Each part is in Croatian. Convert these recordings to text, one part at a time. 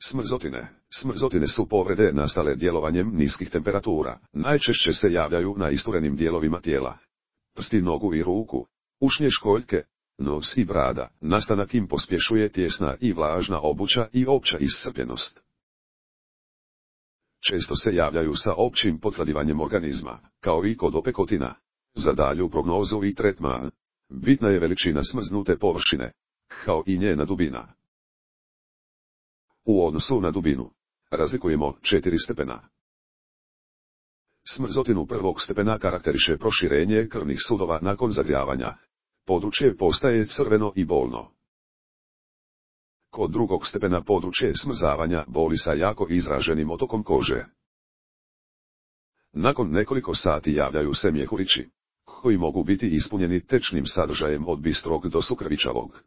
Smrzotine. Smrzotine su povrede nastale djelovanjem niskih temperatura. Najčešće se javljaju na isturenim dijelovima tijela. Prsti nogu i ruku, ušnje školjke, nos i brada. Nastanak im pospješuje tijesna i vlažna obuća i opća iscrpljenost. Često se javljaju sa općim potvrdivanjem organizma, kao i kod opekotina. Za dalju prognozu i tretman bitna je veličina smrznute površine, kao i njena dubina. U odnosu na dubinu razlikujemo 4 stepena. Smrzotinu prvog stepena karakteriše proširenje krvnih sudova nakon zagrijavanja. Područje postaje crveno i bolno. Kod drugog stepena područje smrzavanja boli sa jako izraženim otokom kože. Nakon nekoliko sati javljaju se mjehurići, koji mogu biti ispunjeni tečnim sadržajem od bistrog do sukrvičavog.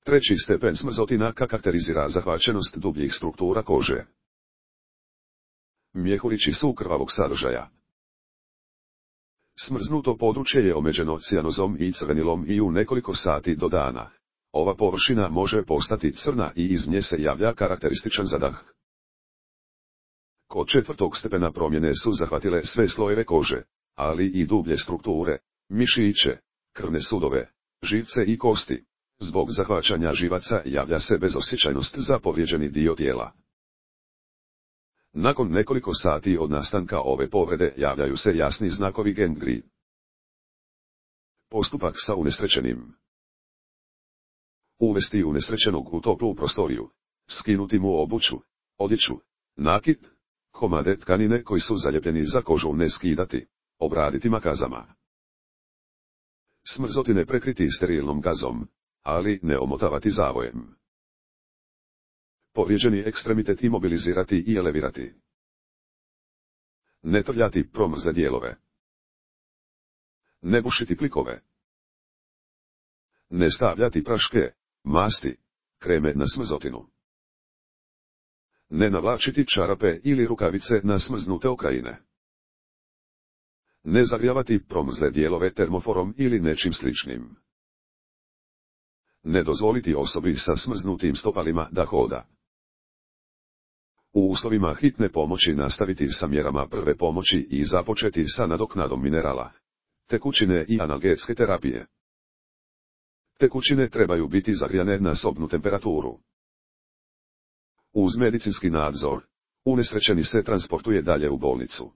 Treći stepen smrzotina karakterizira zahvaćenost dubljih struktura kože. Mjehurići su krvavog sadržaja. Smrznuto područje je omeđeno cijanozom i crvenilom i u nekoliko sati do dana. Ova površina može postati crna i iz nje se javlja karakterističan zadah. Kod četvrtog stepena promjene su zahvatile sve slojeve kože, ali i dublje strukture, mišiće, krvne sudove, živce i kosti. Zbog zahvaćanja živaca javlja se bezosjećajnost za povrijeđeni dio tijela. Nakon nekoliko sati od nastanka ove povrede javljaju se jasni znakovi gangrene. Postupak sa unesrećenim. Uvesti unesrećenog u toplu prostoriju, skinuti mu obuću, odjeću, nakit, komade tkanine koji su zaljepljeni za kožu ne skidati, obraditi makazama. Smrzotine prekriti sterilnom gazom, ali ne omotavati zavojem. Povrijeđeni ekstremitet imobilizirati i elevirati. Ne trljati promrzle dijelove. Ne bušiti plikove. Ne stavljati praške, masti, kreme na smrzotinu. Ne navlačiti čarape ili rukavice na smrznute okrajine. Ne zagrijavati promrzle dijelove termoforom ili nečim sličnim. Ne dozvoliti osobi sa smrznutim stopalima da hoda. U uslovima hitne pomoći nastaviti sa mjerama prve pomoći i započeti sa nadoknadom minerala, tekućine i analgetske terapije. Tekućine trebaju biti zagrijane na sobnu temperaturu. Uz medicinski nadzor, unesrećeni se transportuje dalje u bolnicu.